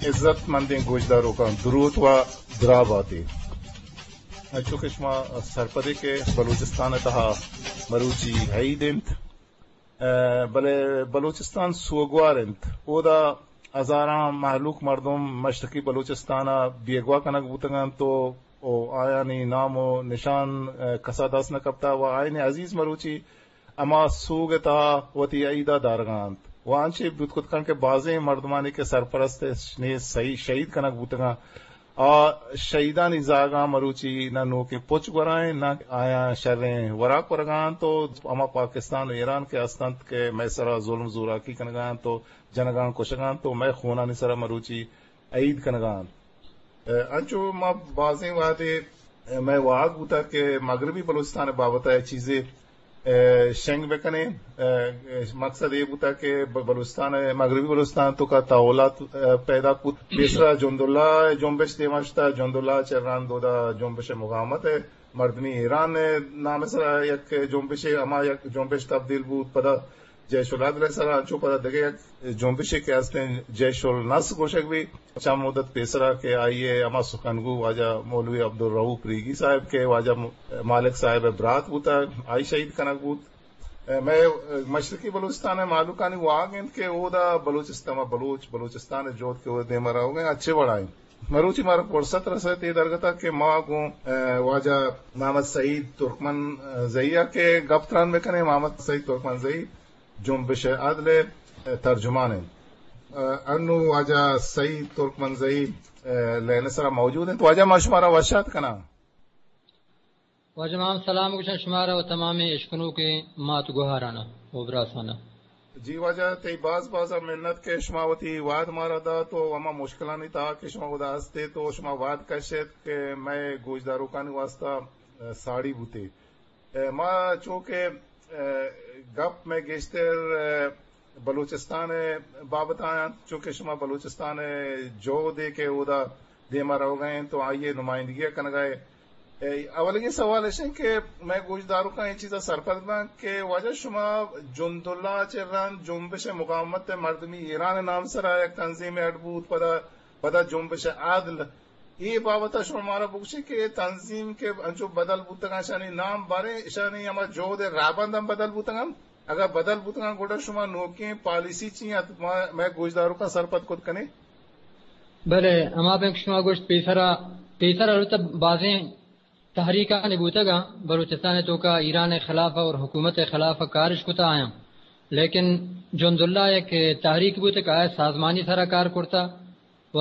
عزت مندیں گوشداروکاں، دروت و درا باتے۔ انچو کہ شما سرپدے کہ بلوچستان ءِ تہا مروچی عید انت، ءَ، بلے بلوچستان سوگوار انت۔ اودا ہزاراں مہلوک مردم مشرقی بلوچستان ءَ بیگواہ کنگ بوتگ انت و، و آیانی نام و نشان، ءَ، کسا دست نہ کپتا و آیانی عزیز مروچی ہما سوگ ءِ تہا وتی عید ءَ دارگا انت۔ و انچیں بوت کت کنت کہ بازیں مردمانی کہ سرپرست ءِ شہید کنگ بوتگاں، آ شہیدانی زاگاں مروچی نہ نوکیں پچ گورائیں، نہ آیاں شریں وراک ورگا انت و ہما پاکستان و ایران کہ ہست انت کہ مئے سرا ظلم زوراکی کنگا انت و جنگاں کشگا انت و مئے خونانی سرا مروچی عید کنگا انت۔ ءَ، انچو ما بازیں وہدے، ءَ، مئے واہگ بوتگ کہ مغربی بلوچستان ءِ بابت ءَ چیزے، ءَ، شنگ بکنیں۔ ءَ، مقصد اے بوتگ کہ ب-، بلوچستان ءِ، مغربی بلوچستان ءِ توکا تحولات، ءَ، پیداک بوت۔ پیسرا جنداللہ ءِ جنبش دیما شتا، جنداللہ ءَ چہ رند اودا جنبش مقاومت ءِ مردمی ایران ءِ نام ءِ سرا یک جنبشے، ہما یک جنبش تبدیل بوت، پدا جیش العدل ءِ سرا انچو پدا دگہ یک جنبشے کہ ہستیں جیش النصر گوشگ بی، چند مدت پیسرا کہ آئی ءِ ہما سخنگو واجہ مولوی عبدالرؤف ریگی صاحب کہ واجہ م-، مالک صاحب ءِ برات بوتگ، آئی شہید کنگ بوت۔ مئے مشرقی بلوچستان ءِ مہلوکانی واہگ انت کہ اودا بلوچستان، بلوچ، بلوچستان ءِ جہد کہ اودا دیما روگ ءَ انت، اچے وڑا انت۔ مروچی مارا فرصت رست اے درگت ءَ کہ ما گوں، ءَ، واجہ محمد سعید ترکمن، ءَ، زئی ءَ کہ گپ تران بکنیں۔ محمد سعید ترکمن زئی جنبش عدل ءِ، ءَ، ترجمان انت۔ ءَ، انو واجہ سعید ترکمن زئی، ءَ، لائن ءِ سرا موجود انت۔ واجہ ما شمارا وش آتک کناں۔ واجہ ما ہم سلام گوشاں شمارا و تمامیں اشکنوکیں مات گوہارانا و براسانا۔ جی واجہ، تئی باز باز منت کہ شما وتی وہد مارا دات و ہما مشکلانی تہا کہ شما اودا ہست ات و شما وہد کش ات کہ مئے گوشداروکانی واسطہ، ءَ، ساڑی بوتے۔ ءَ، ما چو کہ، ءَ، گپ مئے گیشتر، ءَ، بلوچستان ءِ بابت ءَ انت، چو کہ شما بلوچستان ءِ جہدے کہ اودا دیما روگا انت و آئی ءِ نمائندگی ءَ کنگا ات۔ اے، اولگیں سوال اش انت کہ مئے گوشداروکاں اے چیزا سرپد بنت کہ واجہ شما جنداللہ ءَ چہ رند جنبش مقاومت مردمی ایران ءِ نام سرا یک تنظیمے اڈ بوت، پدا، پدا جنبش عدل، اے بابت ءَ شما مارا بگوشے کہ اے تنظیم کہ انچو بدل بوتگاں، اشانی نام باریں، اشانی ہما جہد ءِ راہبند ہم بدل بوتگاں۔ اگاں بدل بوتگاں گڑا شما نوکیں پالیسی چی انت؟ ما، مئے گوشداروکاں سرپد کت کنے۔ بلے، ہما بینک شما گوشت پیسرا، پیسرا البتہ بازیں تحریکانی بوتگاں، بلوچستان ءِ توکا ایران ءِ خلاف اور حکومت ءِ خلاف کارش کتا آیاں۔ لیکن جنداللہ یک تحریک بوتگ کہ آ سازمانی سرا کار کرتا و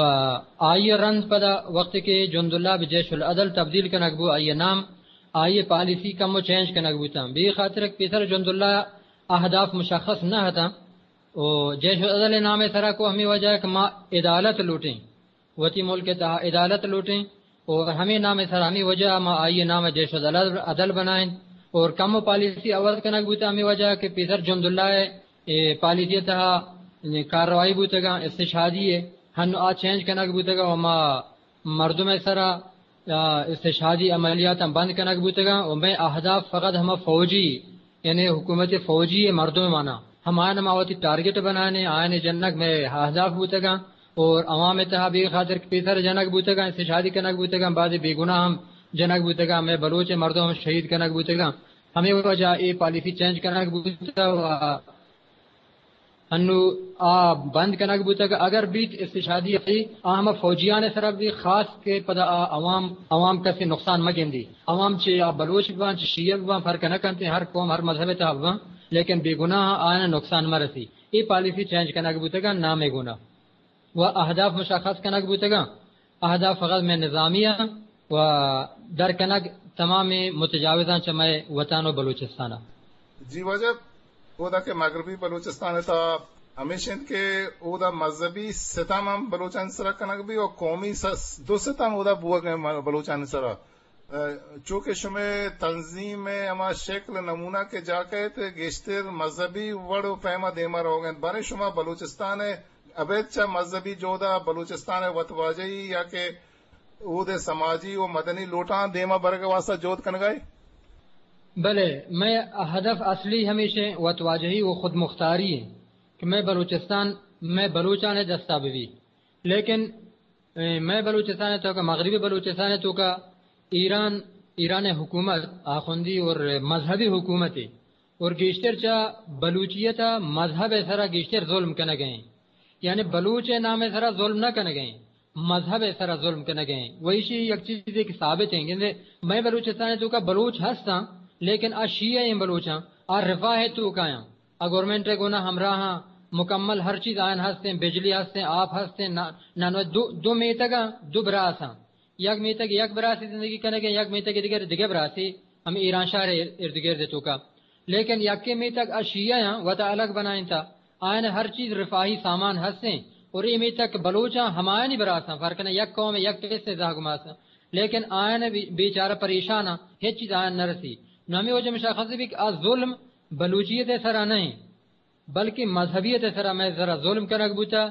آئی ءَ رند پدا وقتی کہ جنداللہ بہ جیش العدل تبدیل کنگ بو، آئی ءِ نام، آئی ءِ پالیسی کمو چینج کنگ بوتاں۔ بے خاطر کہ پیسر جنداللہ اہداف مشخص نہ اتاں۔ و جیش العدل ءِ نام ءِ سرا کو ہمے وجہ کہ ما عدالت لوٹیں، وتی ملک ءِ تہا عدالت لوٹیں، اور ہمے نام ءِ سرا ہمے وجہ ما آئی ءِ نام ءَ جیش العدل بنائیں، اور کمو پالیسی عوض کنگ بوتہ ہمے وجہ کہ پیسر جنداللہ ءِ اے پالیسی ءِ تہا کارروائی بوتگاں استشہادی ءِ، ہنو آ چینج کنگ بوتگاں و ما مردم ءِ سرا، آ، استشہادی عملیاتاں بند کنگ بوتگاں و مئے اہداف فقط ہما فوجی، یعنی حکومت فوجی ءِ مردم مانا، ہمایان ما وتی ٹارگٹ بنانے، آیانی جنگ مئے اہداف بوتگاں اور عوام ءِ تہا بے خاطر کہ پیسر جنگ بوتگاں، استشہادی کنگ بوتگاں، بعض بے گناہ ہم جنگ بوتگاں، مئے بلوچ ءِ مردم ہم شہید کنگ بوتگاں۔ ہمے وجہ اے پالیسی چینج کنگ بوتہ و انو آ بند کنگ بوتگ۔ اگر بیت استشہادی، آ ہما فوجیان ءِ سرا بی، خاص کہ پدا آ عوام، عوام کسے نقصان مہ گندی۔ عوام چہ آ بلوچ بباں، چہ شیعہ بباں، فرق نہ کنت، ہر قوم، ہر مذہب ءِ تہا بباں، لیکن بے گناہ آیاں نقصان مہ رسی۔ اے پالیسی چینج کنگ بوتگاں نام ءِ گونا و اہداف مشخص کنگ بوتگاں۔ اہداف فقط مئے نظامی آں و در کنگ تمامیں متجاوزاں چہ مئے وطن و بلوچستان ءَ۔ جی واجہ، اودا کہ مغربی بلوچستان ءِ تہا ہمیش انت کہ اودا مذہبی ستم ہم بلوچانی سرا کنگ بی و قومی س-، دو ستم اودا بوگ ءَ بلوچانی سرا۔ ءَ، چو کہ شمئے تنظیم ءِ ہما شکل نمونہ کہ جا کئیت، گیشتر مذہبی وڑ و پیما دیما روگ ءَ انت، باریں شما بلوچستان ءِ ابید چہ مذہبی جہد ءَ بلوچستان ءِ وتواجہی یا کہ اود ءِ سماجی و مدنی لوٹاں دیما برگ ءِ واسطہ جہد کنگا ئے؟ بلے، مئے ہدف اصلی ہمیش انت وتواجہی و خودمختاری انت کہ مئے بلوچستان مئے بلوچان ءِ دستا بہ بیت۔ لیکن، اے، مئے بلوچستان ءِ توکا، مغربی بلوچستان ءِ توکا ایران، ایران ءِ حکومت آخوندی اور مذہبی حکومت ہے، اور گیشتر چا بلوچیت ءَ مذہب ءِ سرا گیشتر ظلم کنگ ءَ ایں۔ یعنی بلوچ ءِ نام ءِ سرا ظلم نہ کنگ ءَ ایں، مذہب ءِ سرا ظلم کنگ ءَ ایں۔ و ایشی یک چیزے کہ ثابت ایں، گندے مئے بلوچستان ءِ توکا بلوچ ہستاں، لیکن آ شیعہ ایں بلوچاں، آ رفاہ ءِ توکا آں۔ آ گورنمنٹ ءِ گونا ہمراہاں، مکمل ہر چیز آیان ہستیں، بجلی ہستیں، آپ ہستیں، نا-، نانو دو، دو میتگاں، دو براساں۔ یک میتگ یک براسی زندگی کنگیں، یک میتگ دگر دگہ براسی ہم ایران شہر ءِ ارد گرد ءِ توکا۔ لیکن یکے میتگ آ شیعہ آں، وتا الگ بنائینتا۔ آیان ہر چیز رفاہی سامان ہستیں، اور اے میتگ بلوچاں ہمایانی براساں، فرق نہ، یک قوم یک قصے زہگ ماساں۔ لیکن آیان بی-، بیچارہ پریشاناں، ہچ چیز آیان نہ رسی۔ نو ہمے وجہ مشخص بی کہ آ ظلم بلوچیت ءِ سرا نہ ایں، بلکہ مذہبیت ءِ سرا مئے سرا ظلم کنگ بوتا۔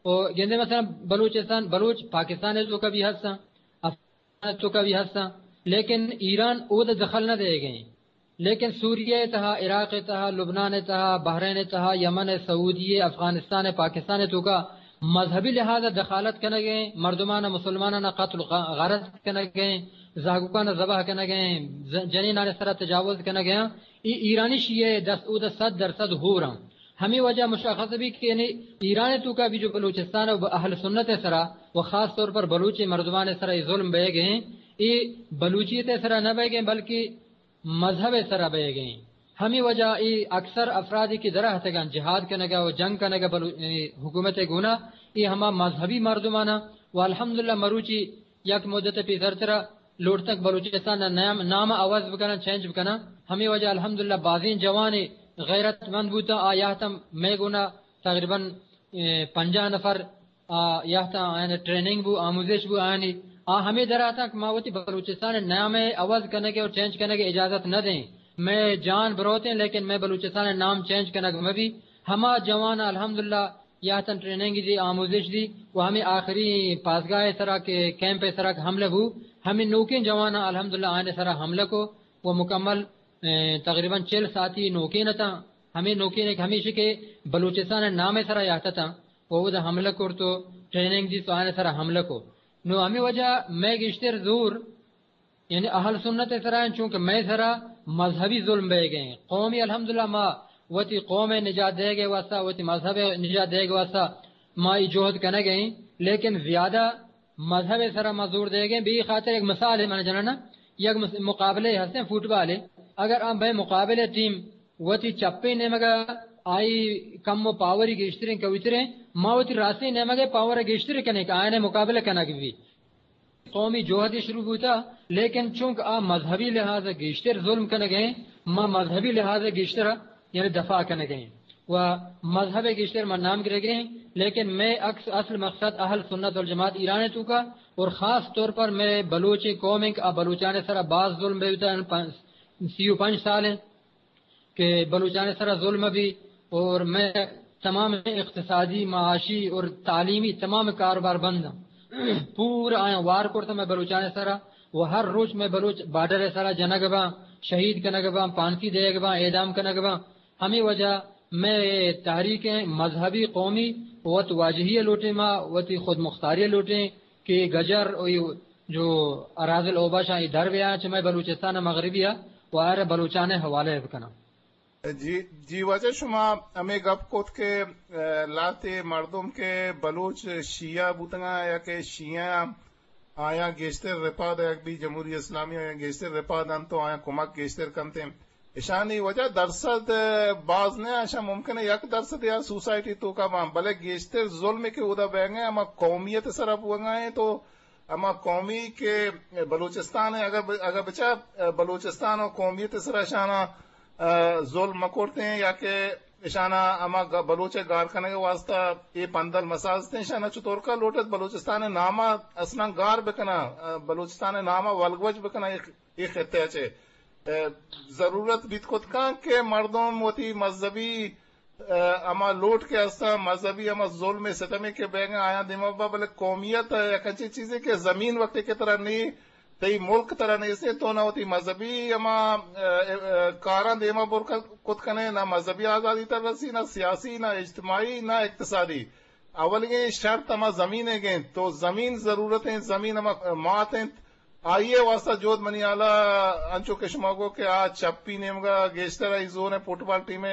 و گندے مثلاً بلوچستان، بلوچ پاکستان ءِ توکا بھی ہستاں، افغانستان ءِ توکا بھی ہستاں، لیکن ایران اود دخل نہ دئیگ ءَ ایں۔ لیکن سوریہ ءِ تہا، عراق ءِ تہا، لبنان ءِ تہا، بحرین ءِ تہا، یمن ءِ، سعودی ءِ، افغانستان ءِ، پاکستان ءِ توکا مذہبی لحاظ ءَ دخالت کنگ ءَ ایں، مردماناں، مسلماناناں قتل و غ-، غارت کنگ ءَ ایں، زہگوکاناں ذبح کنگ ءَ ایں، ز-، جنینان ءِ سرا تجاوز کنگ ءَ ایں۔ اے ایرانی شیعہ ءِ دست اود ءَ صد درصد ہور آں۔ ہمے وجہ مشخص بی کہ یعنی ایران ءِ توکا بھی جو بلوچستان ءِ اہل سنت ءِ سرا و خاص طور پر بلوچ مردمان ءِ سرا اے ظلم بئیگ ءَ ایں، اے بلوچیت ءِ سرا نہ بئیگ ءَ ایں، بلکہ مذہب ءِ سرا بئیگ ءَ ایں۔ ہمے وجہ اے اکثر افرادی کہ درا ہتگاں جہاد کنگ ءَ و جنگ کنگ ءَ بلو-، اے حکومت ءِ گونا، اے ہما مذہبی مردماناں و الحمدللہ مروچی یک مدت پیسرترا لوٹتگ بلوچستان ءِ نام، نام عوض بکناں، چینج بکناں۔ ہمے وجہ الحمدللہ بازیں جوان غیرت مند بوتاں، آ یاتاں مئے گونا تقریباً، اے، پنجاہ نفر آ، یاتاں، آیانی ٹریننگ بو، آموزش بو آیانی۔ آ ہمے در آتاں کہ ما وتی بلوچستان ءِ نام ءِ عوض کنگ ءَ اور چینج کنگ ءِ اجازت نہ دیں۔ مئے جان بروتیں، لیکن مئے بلوچستان ءِ نام چینج کنگ مہ بی۔ ہما جوان الحمدللہ یاتاں ٹریننگ دی، آموزش دی و ہمے آخری پاسگاہ ءِ سرا کہ کیمپ ءِ سرا کہ حملہ بو، ہمے نوکیں جواناں الحمدللہ آیانی سرا حملہ کو و مکمل، اے، تقریباً چل ساعتی نوکین اتاں۔ ہمے نوکین ایک ہمیش کہ بلوچستان ءِ نام ءِ سرا یات اتاں۔ و اودا حملہ کرت و ٹریننگ دیت و آیانی سرا حملہ کو۔ نو ہمے وجہ مئے گیشتر زور، یعنی اہل سنت ءِ سرا انت، چونکہ مئے سرا مذہبی ظلم بئیگ ءَ انت۔ قومی الحمدللہ ما وتی قوم ءِ نجات دئیگ ءِ واسطہ، وتی مذہب ءِ نجات دئیگ ءِ واسطہ ما ای جہد کنگ ءَ ایں، لیکن زیادہ مذہب ءِ سرا ما زور دئیگ ءَ ایں۔ بے خاطر یک مثال ءَ من جنانا، یک مس-، مقابلہ ہستیں فٹبال ءِ، اگر آ بئے مقابلہ ٹیم وتی چپیں نیمگ ءَ آئی کم و پاوری گیشتریں کویتریں، ما وتی راستیں نیمگ ءَ پاور ءَ گیشتر کنیں کہ آیان ءَ مقابلہ کنگ بی۔ قومی جہدے شروع بوتا، لیکن چونکہ آ مذہبی لحاظ ءَ گیشتر ظلم کنگ ءَ ایں، ما مذہبی لحاظ ءَ گیشتر یعنی دفاع کنگ ءَ ایں و مذہب ءَ گیشتر ما نام گرگ ءَ ایں، لیکن مئے اکس-، اصل مقصد اہل سنت والجماعت ایران ءِ توکا اور خاص طور پر مئے بلوچیں قوم انت کہ آ بلوچان ءِ سرا باز ظلم بیتا، پن-، سی و پنچ سال انت کہ بلوچان ءِ سرا ظلم بی اور مئے تمام اقتصادی، معاشی اور تعلیمی تمام کاروبار بند انت۔ پورا آیاں وار کرتا مئے بلوچان ءِ سرا و ہر روچ مئے بلوچ بارڈر ءِ سرا جنگ باں، شہید کنگ باں، پھانسی دئیگ باں، اعدام کنگ باں۔ ہمے وجہ مئے تحریک ءِ مذہبی، قومی وت واجہی ءَ لوٹیں، ما وتی خود مختاری ءَ لوٹیں کہ گجر و جو اراذل اوباش آں، اے در بیاں چہ مئے بلوچستان ءِ مغربی ءَ و آئرا بلوچان ءِ حوالہ ءَ بکناں۔ جی، جی واجہ، شما ہمے گپ کت کہ، اے، لہتے مردم کہ بلوچ شیعہ بوتگاں یا کہ شیعہ آں، آیاں گیشتر رپا دئیگ بی، جمہوری اسلامی آیاں گیشتر رپا دنت و آیاں کمک گیشتر کنت۔ اشانی وجہ درصد، اے، باز نہ، اشاں ممکن ہے یک درصد یا سوسائٹی توکا باں، بلے گیشتر ظلم کہ اودا بیگا ہما قومیت سرا بوگا ہیں تو ہما قومی کہ بلوچستان ءَ اگاں ب-، اگاں بچار، بلوچستان و قومیت ءِ سرا اشاناں، اے، ظلم مہ کرتیں یا کہ اشاناں ہما گ-، بلوچ ءِ گار کنگ ءِ واسطہ اے پندل مہ سازتیں، اشاناں چطورکا لوٹت بلوچستان ءِ نام ءَ اصلاً گار بکناں، اے، بلوچستان ءِ نام ءَ ولگوج بکناں اے، اے خطہ ءَ چہ، اے، ضرورت بیت کت کن کہ مردم وتی مذہبی اے، ہما لوٹ کہ ہستاں، مذہبی ہما ظلم ءُ ستمے کہ بیگاں آیاں دیما با، بلے قومیت یک انچیں چیزے کہ زمین وقتے کہ ترا نی، تئی ملک ترا نیست، تو نہ وتی مذہبی ہما، اے، اے، کاراں دیما بر ک-، کت کنے، نہ مذہبی آزادی ترا رسی، نہ سیاسی، نہ اجتماعی، نہ اقتصادی۔ اولیگیں شرط ہما زمین ءِ گیں، تو زمین ضرورت ایں، زمین ہما مات ایں، آئی ءِ واسطہ جہد منی ہیال ءَ انچو کہ شما گو کہ آ چپی نیمگا گیشتر آئی زور ایں فٹبال ٹیم ءِ۔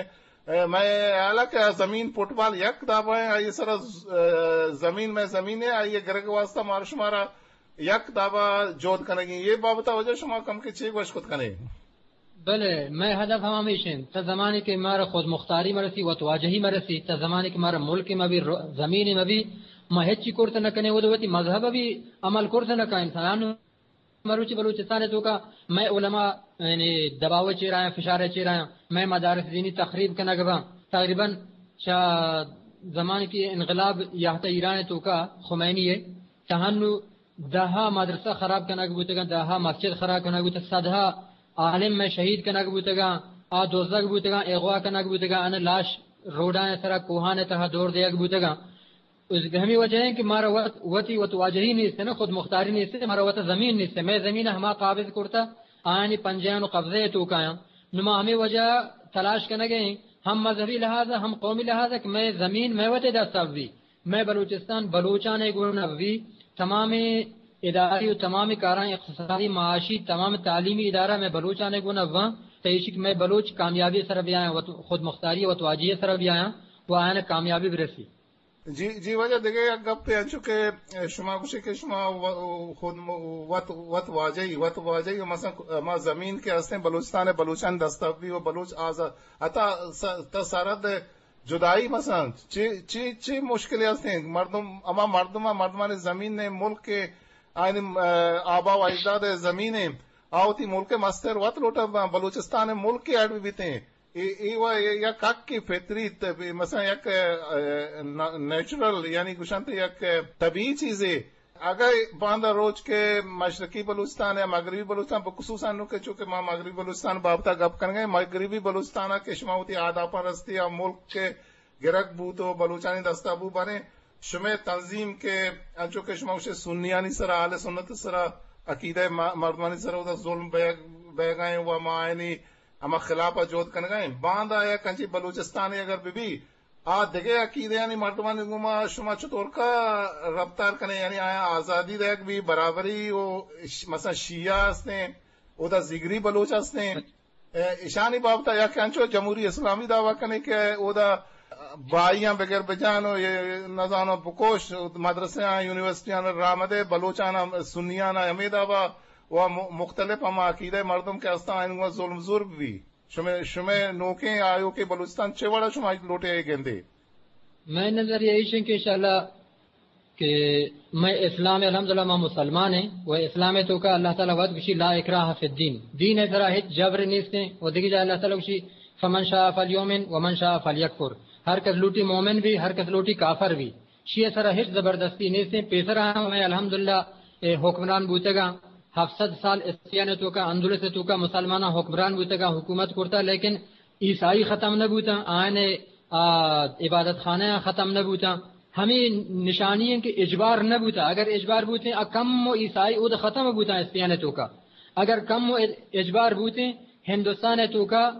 اے، مئے ہیال ءَ کہ آ زمین فٹبال یک دابا ایں، آئی سرا ز-، اے، زمین مئے زمین ایں، آئی گرگ واسطہ مارا شمارا یک دابا جہد کنگی۔ اے بابت ءَ واجہ شما کم کہ چے گوش کت کنے؟ بلے، مئے ہدف ہم ہمیش انت۔ تا زمانے کہ مارا خود مختاری مرسی، وت واجہی مرسی، تا زمانے کہ مارا ملک مبی، رو-، زمین مبی، ما ہچی کرت نہ کنیں، وہ وتی مذہب بھی عمل کرت نہ کنیں۔ انسان مروچی بلوچستان توکا مئے علماء یعنی دباؤ چیر آیاں، فشار چیر آیاں، مئے مدارس دینی تخریب کنگ باں۔ تقریباً چہ زمانے کہ انقلاب یہتا ایران توکا خمینی ہے، تہنو دہا مدرسہ خراب کنگ بوتگاں، دہا مسجد خراب کنگ بوتگاں، صدہا عالم مئے شہید کنگ بوتگاں، آ دزگ بوتگاں، اغوا کنگ بوتگاں، ان لاش روڈاں سرا کوہان تہا دور دیگ بوتگاں۔ اس ہمیں وجہ ہے کہ مارا وت، وتی وت واجہی نیست ہے نا، خود مختاری نیست ہے، مارا وت زمین نیست ہے۔ مئے زمین ہما قابض کرتا، آیانی پنجیان و قبضے توکایاں۔ نما ہمیں وجہ تلاش کنگے ہیں، ہم مذہبی لحاظ، ہم قومی لحاظ، کہ مئے زمین مئے وت دست ابی۔ مئے بلوچستان بلوچانے گون ابی، تمام اداری و تمام کاراں اقتصادی، معاشی، تمام تعلیمی ادارہ مئے بلوچانے گون اباں، تو ایشی کہ مئے بلوچ کامیابی سر بیایاں، وت-، خود مختاری وت واجہی سر بیایاں، و آیان کامیابی برسی۔ جی، جی واجہ، دگہ یک گپے انچو کہ شما گوشے کہ شما و-، خود م-، وت، وت واجہی، وت واجہی و مثلاً ما زمین کہ ہستیں بلوچستان بلوچان دست ابی و بلوچ آزاد، حتی س-، تا سرحد جدائی مثلاً چی، چی، چی مشکلے ہستیں؟ مردم، ہما مردم، مردمانی زمین نے ملک کے آئین، آبا و اجداد زمین، آوتی ملک مستر وت لوٹا بلوچستان ملک کے اڈ بیتیں۔ اے، اے و یک حق کی فطری ت-، مثلاً یک، اے، نا-، نیچرل، یعنی گوشنت یک طبیعی چیزے۔ اگہ باندا روچ کہ مشرقی بلوچستان یا مغربی بلوچستان، بخصوصاً نو کہ چونکہ ما مغربی بلوچستان بابتا گپ کنگے، مغربی بلوچستان کہ شما وتی آداپاں رستی یا ملک کے گرگ بوت و بلوچانی دستا بو، باریں شمے تنظیم کہ انچو کہ شما گوشے سنیانی سرا، اہل سنت سرا، عقیدہ م-، مردمانی سرا اودا ظلم بیگ، بیگائیں و ما آئینی ہما خلاف جہد کنگائیں۔ باندا یک انچی بلوچستان اگر ببی، آ دگہ عقیدہانی مردمانی گوما شما چطور کا رفتار کنے؟ یعنی آیا آزادی دیگ بی، برابری و ش-، مثلاً شیعہ ہستیں، اودا زگری بلوچ ہستیں۔ اے، ایشانی بابت یک انچو جمہوری اسلامی دعویٰ کنے کہ اودا بھائیاں بگر بجان و یہ نزانو بکوش، مدرسیاں، یونیورسٹیاں راہ مدے، بلوچانا، سنیانا ہمے دعویٰ و م-، مختلف ہما عقیدہ مردم کہ ہستاں، آئین گوما ظلم زور بی۔ شمے، شمے نوکیں آیوکیں بلوچستان چے وڑا شما لوٹے اے گندے؟ مئے نظریہ ایش انت کہ انشاءاللہ کہ مئے اسلام، الحمدللہ ما مسلمان ہیں و اسلام توکا اللہ تعالیٰ وت گوشی لا اکراہ فی الدین، دین سرا ہچ جبر نیستیں و دگہ جا اللہ تعالیٰ گوشی فمن شاء فلیؤمن ومن شاء فلیکفر، ہر کس لوٹی مومن بی، ہر کس لوٹی کافر بی۔ شیعہ سرا ہچ زبردستی نیستیں۔ پیسرا ہم مئے الحمدللہ اے حکمران بوتگاں، ہفت سد سال اسپین توکا، اندلس توکا مسلماناں حکمران بوتگاں، حکومت کرتا، لیکن عیسائی ختم نہ بوتاں، آیان، آ، عبادت خانہ ختم نہ بوتاں۔ ہمیں نشانی ہیں کہ اجبار نہ بوتا، اگر اجبار بوتیں، آ کم و عیسائی اود ختم بوتاں اسپین توکا۔ اگر کم و اجبار بوتیں، ہندوستان توکا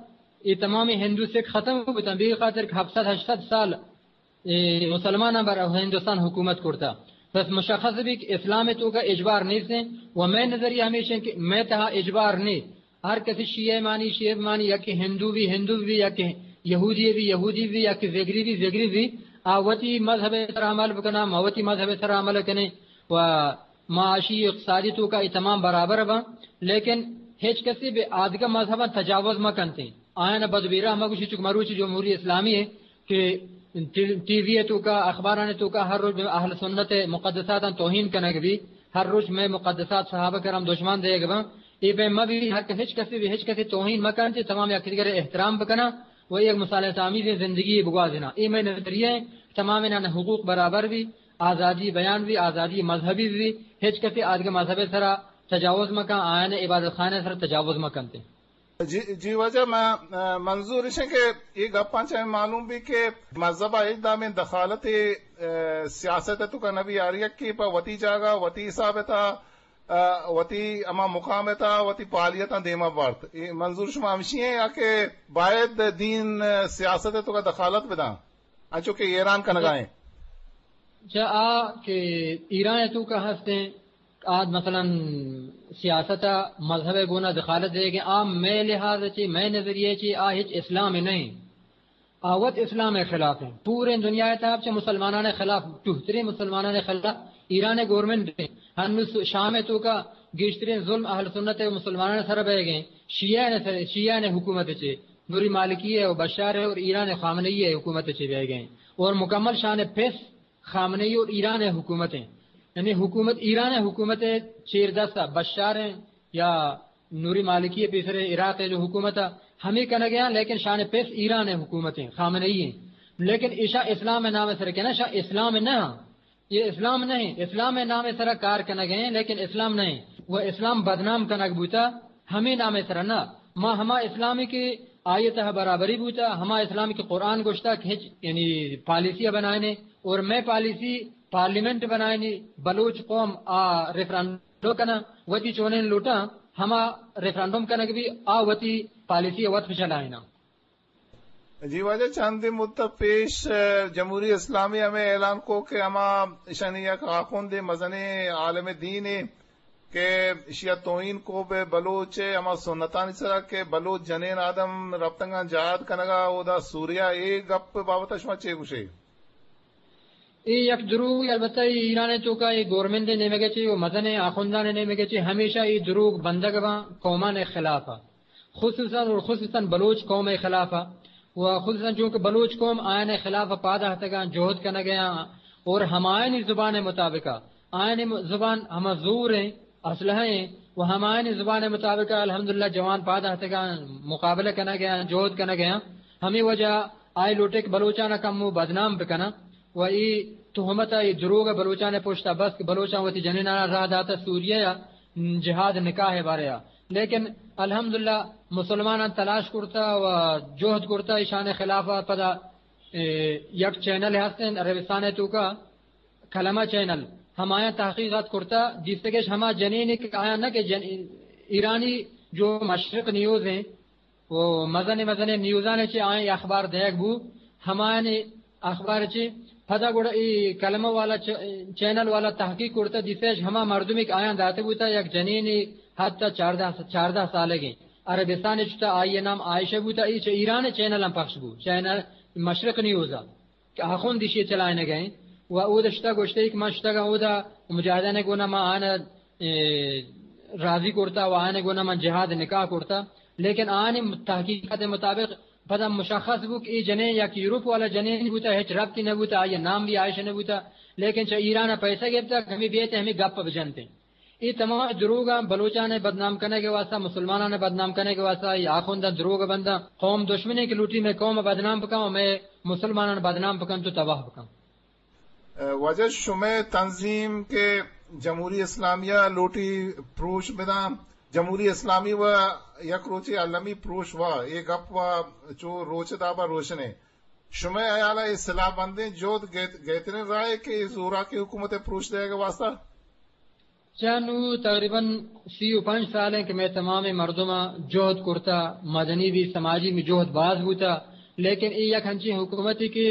یہ تمام ہندو سکھ ختم بوتاں، بے خاطر کہ ہفت سد ہشت سد سال اے، مسلماناں بر ہندوستان حکومت کرتا۔ بس مشخص بی کہ اسلام توکا اجبار نیستیں و مئے نظریہ ہمیش ہیں کہ مئے تہا اجبار نے۔ ہر کسی شیعہ مانی، شیعہ مانی، یا کہ ہندو بی، ہندو بی، یا کہ یہودی بی، یہودی بی، یا کہ زگری بی، زگری بی، آ وتی مذہب سر عمل بکنا، ما وتی مذہب سر عمل کنے و معاشی، اقتصادی توکا اے تمام برابر باں، لیکن ہچ کسی بہ آدگہ مذہباں تجاوز مہ کنتیں۔ آیاں بد بیرہ مہ گوشی، چونکہ مروچی جمہوری اسلامی ہے کہ ٹی-، ٹی وی توکا، اخباران توکا ہر روچ اہل سنت مقدساتاں توہین کنگ بی، ہر روچ مئے مقدسات صحابہ کرام دشمن دیگ باں۔ اے بہ مہ بی، ہر کس، ہچ کسی بہ ہچ کسی توہین مہ کنتیں، تمام یک دیگر احترام بکناں و یک مصالحت آمیزیں زندگی بگوازیناں۔ اے مئے نظریہ ہیں، تمام انان حقوق برابر بی۔ آزادی بیان بی، آزادی مذہبی بی، ہچ کسی آدگہ مذہب سرا تجاوز مکن، آیان عبادت خانہ سرا تجاوز مکنتے۔ جی، جی واجہ، ما، آ، منظور اش کہ یہ گپاں چہ معلوم بی کہ مذہب ہچ دامیں دخالت، آ، سیاست توکا نبی، ہر یکی پہ وتی جاگہ، وتی حساب تا، آ، وتی ہما مقام تا، وتی پالیتاں دیما بارت۔ یہ منظور شما ہمشی ہیں یا کہ باید دین، آ، سیاست توکا دخالت بداں؟ انچو کہ ایران کنگا ہیں۔ چہ آ کہ ایران ءِ توکا ہستیں، آ مثلاً سیاست ءَ مذہب ءِ گونا دخالت دیگ ءَ، آ مئے لحاظ ءَ چہ، مئے نظریہ ءَ چہ آ ہچ اسلام نہ ایں۔ آ وت اسلام ءِ خلاف ایں۔ پوریں دنیا ءِ تہا چہ مسلمانان ءِ خلاف، ٹوہتریں مسلمانان ءِ خلاف ایران ءِ گورنمنٹ ایں۔ ہنوز شام ءِ توکا گیشتریں ظلم اہل سنت ءِ مسلمانان ءِ سر ءَ بیگ ءَ ایں۔ شیعہ ءِ سر، شیعہ ءِ حکومت ءَ چہ، نوری مالکی ءِ و بشار ءِ اور ایران ءِ خامنہ ای ءِ حکومت ءَ چہ بیگ ءَ ایں۔ اور مکمل شان پس خامنہ ای اور ایران ءِ حکومت ایں۔ یعنی حکومت، ایران ءِ حکومت ءِ چیر دست ءَ، بشار ءِ یا نوری مالکی ءِ پیسر ءَ عراق ءِ جو حکومت ءَ ہمے کنگ ءَ ایں، لیکن شان پس ایران ءِ حکومت ایں، خامنہ ای ایں۔ لیکن ایشاں اسلام ءِ نام ءِ سر ءَ کناں، شاں اسلام نہ ایں۔ اے اسلام نہ ایں، اسلام ءِ نام ءِ سر ءَ کار کنگ ءَ ایں، لیکن اسلام نہ ایں۔ و اسلام بدنام کنگ بوتا ہمے نام ءِ سر ءَ نہ۔ ما ہما اسلامی کہ آئی ءِ تہا برابری بوتا، ہما اسلامی کہ قرآن گوشتا کہ ہچ، یعنی پالیسی ءَ بنائینے، اور مئے پالیسی پارلیمنٹ بنائینی، بلوچ قوم آ ریفرنڈم کناں، وتی چونیں لوٹاں، ہما ریفرنڈم کنگ بی، آ وتی پالیسی ءَ وت بچلائیناں۔ جی واجہ، چندے مدت پیش، ء، جمہوری اسلامی ہمے اعلان کو کہ ہما اشانی یک آخوندے مزنیں عالم دین ء کہ اشیا توہین کو بہ بلوچ ء ہما سنتانی سرا کہ بلوچ جنین آدم رپتگاں جہاد کنگا اودا سوریا، اے گپ بابت شما چے گوشے؟ اے یک دروگے، البتہ اے ایران ء توکا اے گورنمنٹ ء نیمگ ء چہ و مزنیں آخوندان ء نیمگ ء چہ ہمیشہ اے دروگ بندگ باں قومان ء خلاف ء، خصوصاً اور خصوصاً بلوچ قوم ء خلاف ء، و خصوصاً چونکہ بلوچ قوم آیان ء خلاف ء پاد آہتگاں، جہد کنگ ء آں اور ہمایانی زبان ء مطابق ء، آیانی م-، زبان ہما زور ایں، اسلحہ ایں و ہمایانی زبان ء مطابق ء الحمدللہ جوان پاد آہتگاں، مقابلہ کنگ ء آں، جہد کنگ ء آں۔ ہمے وجہ آئی لوٹے کہ بلوچاں کمو بدنام بکناں و اے تہمت ء اے دروگ ء بلوچاں پشت ء بست کہ بلوچاں وتی جنیناں راہ داتہ سوریہ ء جہاد نکاح ء بارے ء۔ لیکن الحمدللہ مسلماناں تلاش کرتہ و جہد کرتہ ایشان ء خلاف ء۔ پدا، اے، یک چینل ہست انت عربستان ء توکا، کلمہ چینل، ہمایاں تحقیقات کرتہ، دیستگش ہما جنین کہ آیاں نہ کہ جن-، ایرانی جو مشرق نیوز ہیں، و مزنیں مزنیں نیوزانے چہ آیاں اخبار دیگ بو، ہمایانی اخبار چہ پدا گڑا اے کلمہ والا چ-، چینل والا تحقیق کرتا، دیستش ہما مردمی کہ آیاں داتے بوتا، یک جنینی حتی چاردہ، چاردہ سالگیں عربستان چتا، آئی نام عائشہ بوتا، اے چہ ایران چینل ہم پخش بو، چینل مشرق نیوزا۔ کہ آخوند ایشی چلائینگ ء انت و اود شتگ گوشتے کہ من شتگاں اودا مجاہدان ء گونا من آن ء، اے، راضی کرتا و آن ء گونا من جہاد نکاح کرتا، لیکن آنی تحقیقات مطابق پدا مشخص بو کہ اے جنین یک یورپ والا جنین بوتا، ہچ ربطی نہ بوتا، آئی نام بھی عائشہ نہ بوتا، لیکن چہ ایران ء پیسہ گپتا کہ ہمیں بیت ہمیں گپ بجنتے۔ اے تمام دروگاں بلوچاں ء بدنام کنگ ء واسطہ، مسلماناں ء بدنام کنگ ء واسطہ، اے آخونداں دروگ بنداں، قوم دشمنے کہ لوٹی مئے قوم ء بدنام بکن و مئے مسلماناں ء بدنام بکن تو تباہ بکن۔ واجہ شمئے تنظیم کہ جمہوری اسلامیہ لوٹی پروش بداں، جمہوری اسلامی و یک روچے المی پروش وا، اے گپ وا چو روچ دابا روشنے۔ شمئے حیال ء اے سلاہ بندیں جہد گہت-، گہترین راہے کہ اے زوراکیں حکومت ء پروش دئیگ ء واسطہ؟ چہ نوں تقریباً سی و پنچ سال انت کہ مئے تمامیں مردماں جہد کرتا، مدنی بھی سماجی بھی جہد باز بوتا، لیکن اے یک ہنچیں حکومتے کہ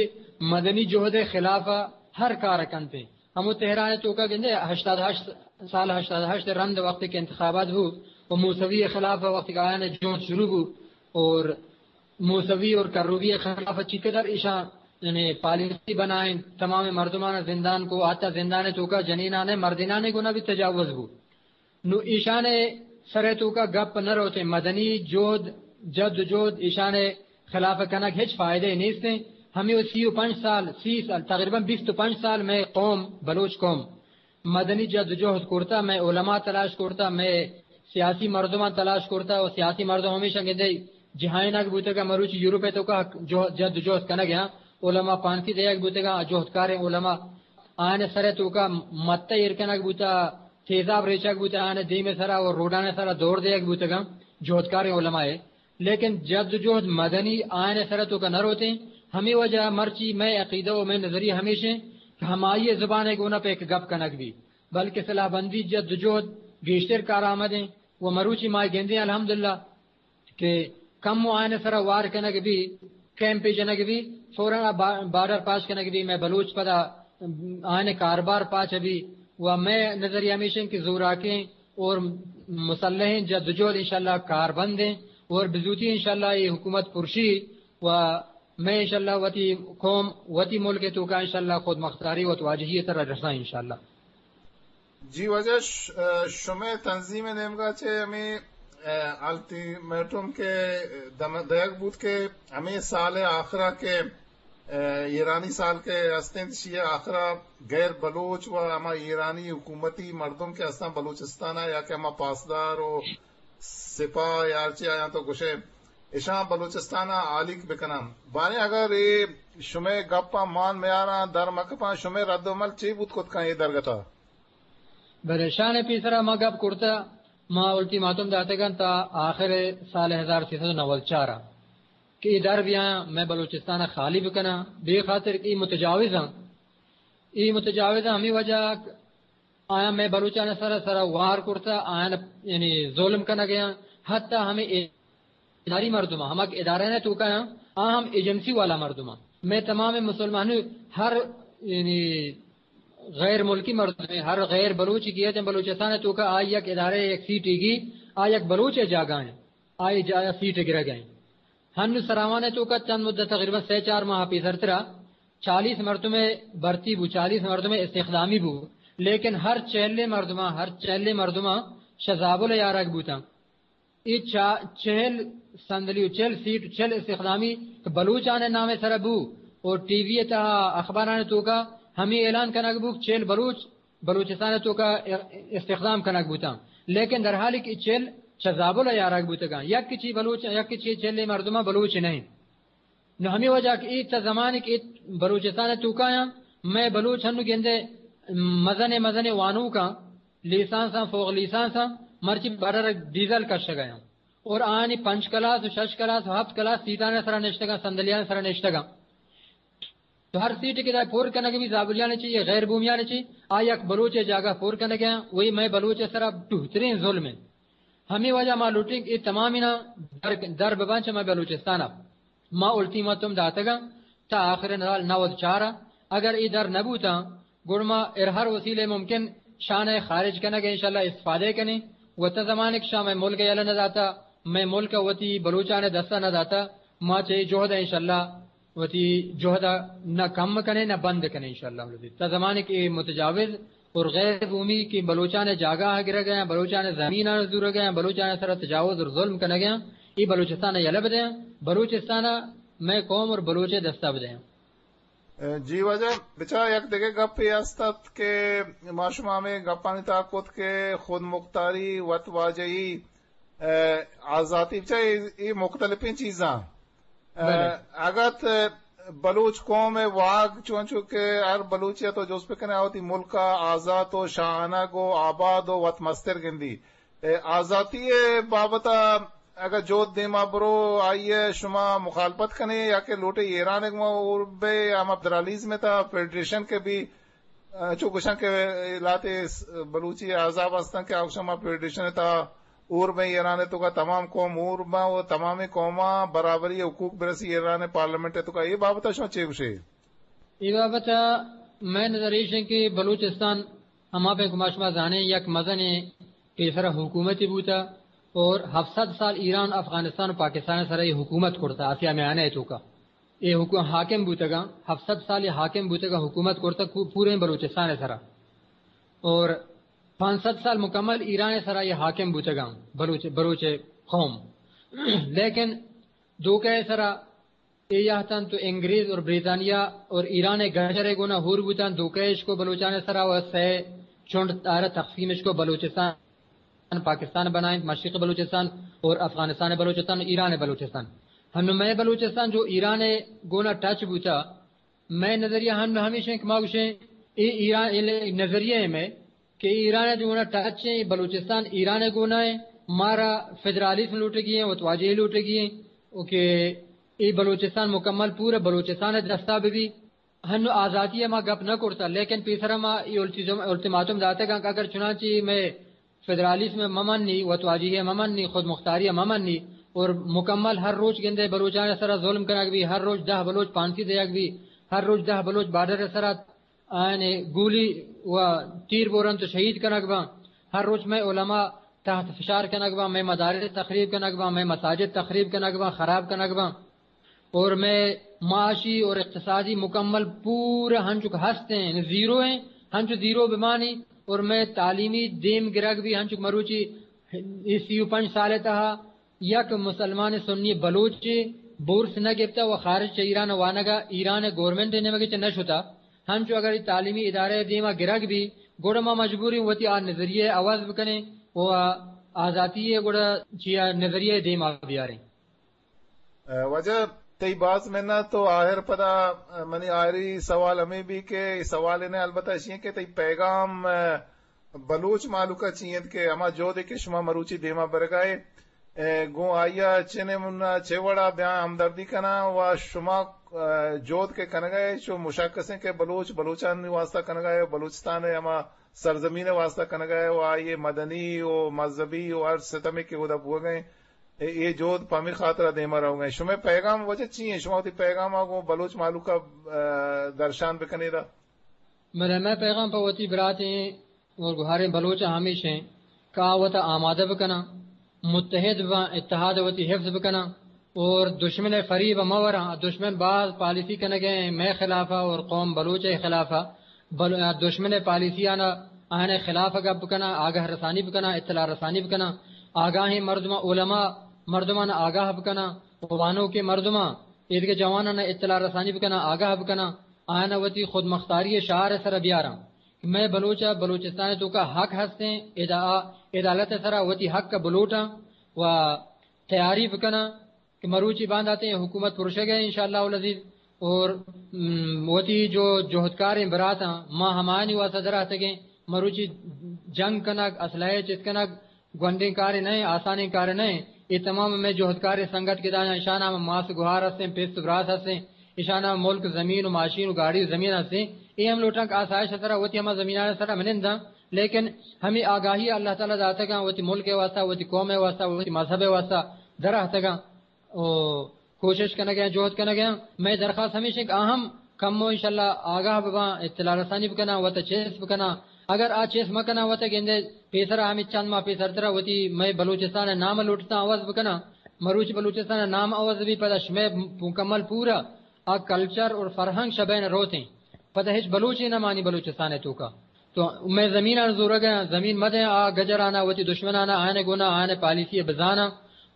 مدنی جہد ء خلاف ء ہر کار کنت۔ ہمو تہران ء توکا گندے ہشتاد ہشت سال، ہشتاد ہشت رند وقتی کہ انتخابات بو و موسوی ء خلاف وقتی کہ آیان جہد شروع بو اور موسوی اور کروبی ء خلاف چی قدر ایشاں یعنی پالیسی بنائیں، تمام مردمان زندان کو، حتی زندان توکا جنینان مردینان گنا بھی تجاوز بو۔ نو ایشان سر توکا گپ نہ روتے، مدنی جہد، جد و جہد ایشان خلاف کنگ ہچ فائدہ نیستیں۔ ہمیں سی و پنچ سال، سی سال، تقریباً بیست و پنچ سال مئے قوم، بلوچ قوم، مدنی جدوجہد کرتا، مئے علماء تلاش کرتا، مئے سیاسی مردماں تلاش کرتا و سیاسی مردم ہمیشاں گندے جہائینگ بوتگا، مروچی یورپ ء توکا جہد، جدوجہد کنگ ء آں۔ علماء پانسی دیگ بوتگا، جہدکاریں علماء آیان سر ء توکا متہ ایر کنگ بوتا، تیزاب ریچگ بوتا، آیان دیم ء سرا و روڈان ء سرا دور دیگ بوتگا جہدکاریں علماء ء۔ لیکن جد و جہد مدنی آیان سر توکا نہ روتیں۔ ہمے وجہ مرچی مئے عقیدہ و مئے نظریہ ہمیش انت کہ ہمائی زبان ء گونا پہ یک گپ کنگ بی، بلکہ سلاح بندی جد و جہد گیشتر کارآمد انت و مروچی ما گندیں الحمدللہ کہ کم و آیان سرا وار کنگ بی، کیمپے جنگ بی، فوراً آ با-، بارڈر پاس کنگ بی، مئے بلوچ پدا آنے کاربار پاچ بی۔ و مئے نظریہ ہمیش انت کہ زوراکیں اور مسلحیں جدوجہد انشاءاللہ کاربند ہیں اور بزوتی انشاءاللہ یہ حکومت پرشی و مئے انشاءاللہ وتی قوم، وتی ملک توکا انشاءاللہ خود مختاری وت واجہی تر رساں انشاءاللہ۔ جی واجہ، ش-، شمئے تنظیم نیمگا چہ ہمیں، اے، الٹیمیٹم کے دم-، دیگ بوت کہ ہمیں سال آخرا کے، اے، ایرانی سال کے استیں شیئے آخرا غیر بلوچ و ہما ایرانی حکومتی مردم کے استاں بلوچستانا یا کہ ہما پاسدار و سپاہ یا ہرچی آیاں تو گوشے اشاں بلوچستانا آلیک بکناں۔ باریں اگر اے شمئے گپاں مان میاراں در مکپاں شمئے رد و عمل چی بوت کت کن اے درگتا؟ بلے شان پیسرا ما گپ کرتا، ما الٹیماتوم داتگاں تا آخر سال ہزار سیصد و نود چار کہ اے در بیاں، میں بلوچستان خالی بکناں، بے خاطر کہ اے متجاوز ہیں۔ اے متجاوز ہیں، ہمیں وجہ آیا میں بلوچان سر سر وار کرتا، آیا یعنی ظلم کنگ ءَ، حتی ہمیں اداری مردم، ہمک ادارہ نے توکا ہیں، آ ہم ایجنسی والا مردم ہیں۔ میں تمام مسلمان ہر یعنی غیر ملکی مردم، ہر غیر بلوچی کیا جن بلوچستان توکا آ یک ادارہ یک سیٹ گی، آ یک بلوچ جاگہ ہیں، آئی جا سیٹ گرگ ہیں۔ ہن سراوان توکا چند مدت تقریباً سے چار ماہ پیسرترا چالیس مردم بھرتی بو، چالیس مردم استخدامی بو، لیکن ہر چہلے مردماں، ہر چہلے مردماں شزابل یارگ بوتاں۔ اے چا-، چہل صندلی و چہل سیٹ و چہل استخدامی کہ بلوچان نام سر بو اور ٹی وی تہا اخباران توکا ہمیں اعلان کنگ بو کہ چہل بلوچ بلوچستان توکا استخدام کنگ بوتاں، لیکن در حالی کہ چہل چہ زابل یارگ بوتگاں، یک چی بلوچ، یک چی چہل مردماں بلوچ نہیں۔ نو ہمیں وجہ کہ اے تا زمانے کہ اے بلوچستان توکایاں، میں بلوچ ہنو گندے مزن مزن وانوکاں، لیسانساں، فوق لیسانساں، مرچی بارڈر ڈیزل کشگایاں۔ اور آنی پنچ کلاس و شش کلاس و ہفت کلاس سیٹان سرا نشتگاں، صندلیان سرا نشتگاں۔ تو ہر سیٹ کہ دا پور کنگ بی زابلیان چی یا غیر بومیان چی، آ یک بلوچ جاگہ پور کنگ ہیں، وہی میں بلوچ سرا ٹوہترین ظلم ہے۔ ہمیں وجہ ما لوٹیں کہ اے تمامی نا در، در ببان چہ مئے بلوچستان ءَ۔ ما الٹیماتوم داتگاں تا آخر نال نود چار ءَ۔ اگر اے در نہ بوتاں، گڑ ما ار ہر وسیلے ممکن شان ءَ خارج کنگ ءَ انشاءاللہ استفادہ کنیں۔ و تا زمانے کہ شاں مئے ملک ءَ یلہ نہ داتا، مئے ملک ءَ وتی بلوچان ءَ دستا نہ داتا، ما چہ اے جہد ءَ انشاءاللہ وتی جہد ءَ نہ کم کنیں نہ بند کنیں انشاءاللہ العزیز۔ تا زمانے کہ اے متجاوز اور غیر بومی کہ بلوچان جاگہ گرگ ہیں، بلوچان زمین زورگ ہیں، بلوچان سر تجاوز اور ظلم کنگ ہیں، اے بلوچستان یلہ بدیں، بلوچستان میں قوم اور بلوچ دستہ بدیں۔ جی واجہ، بچا یک دگہ گپ یہ است کہ ما شما ہمیں گپانی تا کت کہ خود مختاری، وت واجہی، اے، آزاتی، بچا اے، اے مختلفیں چیزاں۔ اے، بلے۔ اگت بلوچ قوم ءِ واگ چونچو کہ ہر بلوچی ءَ تو جست بکنے، آ وتی ملک ءَ آزات و شاہانگ و آباد و وت مستر گندی۔ اے، آزاتی ءِ بابت ءَ اگہ جہد دیما برو، آئی ءَ شما مخالفت کنے یا کہ لوٹے ایران ءَ گما اور بے ہم فدرالیزم ءِ تہا فیڈریشن کہ بی چو گوشاں کہ لہتے بلوچی احزاب ہستاں کہ آ گوشاں ما فیڈریشن ءِ تہا اور بیں، ایران ءِ توکا تمام قوم اور باں و تمامیں قوماں برابری حقوق برسی ایران ءِ پارلیمنٹ ءِ توکا۔ اے بابت ءَ شما چے گوشے؟ اے بابت ءَ مئے نظر ایش انت کہ بلوچستان ہما پہ کہ ما شما زانیں یک مزنیں پیسرا حکومتے بوتا اور ہفت سد سال ایران، افغانستان و پاکستان ءِ سرا اے حکومت کرتا آسیا میانہ ءِ توکا۔ اے حکو-، حاکم بوتگاں، ہفت سد سال اے حاکم بوتگاں، حکومت کرتگ کو-، پوریں بلوچستان ءِ سرا۔ اور پانچ سد سال مکمل ایران ءِ سرا اے حاکم بوتگاں، بلوچ، بلوچ قوم۔ لیکن دوکہ ءِ سرا اے یہتاں تو انگریز اور بریطانیہ اور ایران ءِ گجر ءِ گونا ہور بوتاں، دوکہ اش کو بلوچان ءِ سرا و سئے چنڈ آرا تقسیم اش کو بلوچستان پاکستان بنائیں، مشرق بلوچستان اور افغانستان بلوچستان، ایران بلوچستان۔ ہنو مئے بلوچستان جو ایران گونا ٹچ بوتا، مئے نظریہ ہنو ہمیش ہیں کہ ما گوشیں اے ایران، اے نظریہ ہے مئے کہ ایران جو گونا ٹچ ہیں، بلوچستان ایران گونا ہے، مارا فدرالیزم لوٹگی ہیں، وتواجہی لوٹگی ہیں، او کہ اے بلوچستان مکمل پورا بلوچستان دستا ببی۔ ہنو آزاتی ءِ ما گپ نہ کرتا، لیکن پیسر ما اے التیزم-، التیماتوم داتگاں کہ اگر چنانچہ مئے فدرالیزم ءَ مہ منی، وتواجہی ءَ مہ منی، خود مختاری ءَ مہ منی، اور مکمل ہر روچ گندے بلوچان ءِ سرا ظلم کنگ بی، ہر روچ دہ بلوچ پانسی دیگ بی، ہر روچ دہ بلوچ بارڈر ءِ سرا آیانی گولی و تیر بورنت و شہید کنگ باں۔ ہر روچ مئے علماء تحت فشار کنگ باں، مئے مدارس تخریب کنگ باں، مئے مساجد تخریب کنگ باں، خراب کنگ باں۔ اور مئے معاشی اور اقتصادی مکمل پورا ہنچک ہست ہیں، یعنی زیرو ہیں، ہنچو زیرو بمانی۔ اور مئے تعلیمی دیم گرگ بھی ہنچک مروچی سی و پنچ سال تہا یک مسلمان سنی بلوچ بورس نہ گپتا و خارج چہ ایران وانگا ایران گورنمنٹ نیمگے چہ نہ شتا۔ ہنچو اگر تعلیمی ادارہ دیما گرگ بھی، گڑا ما مجبوریں وتی آ نظریہ عوض بکنیں و آزاتی گڑا چیا نظریہ دیما بیاریں۔ اے، واجہ، تئی باز منت۔ تو آہر پدا، اے، منی آہری سوال ہمیں بھی کہ اے سوال نے البتہ اشی کہ تئی پیغام، اے، بلوچ مالوکا چی انت کہ ہما جہدے کہ شما مروچی دیما برگائے، اے، گوں آئیا چنے منا چے وڑا بیاں ہمدردی کناں و شما، اے، جہد کہ کنگائے چو مشخصیں کہ بلوچ بلوچانی واسطہ کنگائے، بلوچستان ہما سرزمین واسطہ کنگائے و آئیے مدنی و مذہبی و ہر ستمے کہ اودا بوگئے۔ اے، اے جہد پہ ہمے خاطرا دیما روگا انت۔ شمئے پیغام واجہ چی انت؟ شما وتی پیغام ء گوں بلوچ مہلوک ء، ء، درشان بکنیدا۔ بلے مئے پیغام پہ وتی براتیں اور گوہاریں بلوچ ء ہمیش انت کہ آ وتا آمادہ بکناں، متحد باں، اتحاد وتی حفظ بکناں اور دشمن ء فریب ء مہ وراں۔ دشمن باز پالیسی کنگ ء مئے خلاف ء اور قوم بلوچ ء خلاف ء۔ بل-، دشمن ء پالیسی آنا آہان ء خلاف ء گپ بکناں، آگاہ رسانی بکناں، اطلاع رسانی بکناں، آگاہیں مردماں، علماء مردمان آگاہ بکناں، وانوکیں مردماں، ایدگہ جوانان ء اطلاع رسانی بکناں، آگاہ بکناں، آیان ء وتی خود مختاری ء شعار ء سر ء بیاراں کہ مئے بلوچ ء بلوچستان ء توکا حق ہستیں، ادا-، عدالت ء سر ء وتی حق ء بلوٹاں و تیاری بکناں۔ کہ مروچی بانداتیں حکومت پرشگ ء انشاءاللہ العزیز۔ اور، م، وتی جو جہدکاریں براتاں، ما ہمایانی واسطہ دراتگیں۔ مروچی جنگ کنگ، اسلحہ چست کنگ گونڈیں کارے نہ، آسانیں کارے نہ۔ اے تمام مئے جہدکاریں سنگت کہ دایاں، اشاناں ماس گوہار ہستیں، پیست براس ہستیں، اشاناں ملک زمین و ماشین و گاڑی و زمین ہستیں۔ اے ہم لوٹاں کہ آسائش سرا وتی ہما زمینان سرا مننداں، لیکن ہمیں آگاہی اللہ تعالی داتگاں وتی ملک ء واسطہ، وتی قوم ء واسطہ، وتی مذہب ء واسطہ دراتگاں۔ و کوشش کنگ ء جہد کنگ ء۔ مئے درخواست ہمیش انت کہ آ ہم کمو انشاءاللہ آگاہ بباں، اطلاع رسانی بکناں، وت چیس بکناں۔ اگر آ چیس مکناں، وت گندے پیسرا ہمیں چند ماہ پیسرترا وتی مئے بلوچستان ء نام لوٹتاں عوض بکناں۔ مروچی بلوچستان ء نام عوض بی، پدا شمئے مکمل پورا آ کلچر اور فرہنگ شبین روتیں۔ پدا ہچ بلوچے نہ مانی بلوچستان ء توکا۔ تو مئے زمینان زورگ ء، زمین مدیں آ گجران ء، وتی دشمنان ء، آیان ء گونا آیان ء پالیسی ء بزاناں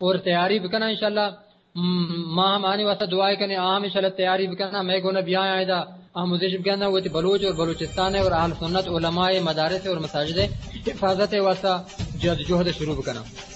اور تیاری بکناں انشاءاللہ۔ م-، ما ہم آنی واسطہ دعائے کنیں، آ ہم انشاءاللہ تیاری بکناں، مئے گونا بیایاں ادا آموزش بکناں، وتی بلوچ اور بلوچستان ء اور اہل سنت علماء ء مدارس ء اور مساجد ء حفاظت ء واسطہ جد جہد شروع بکناں۔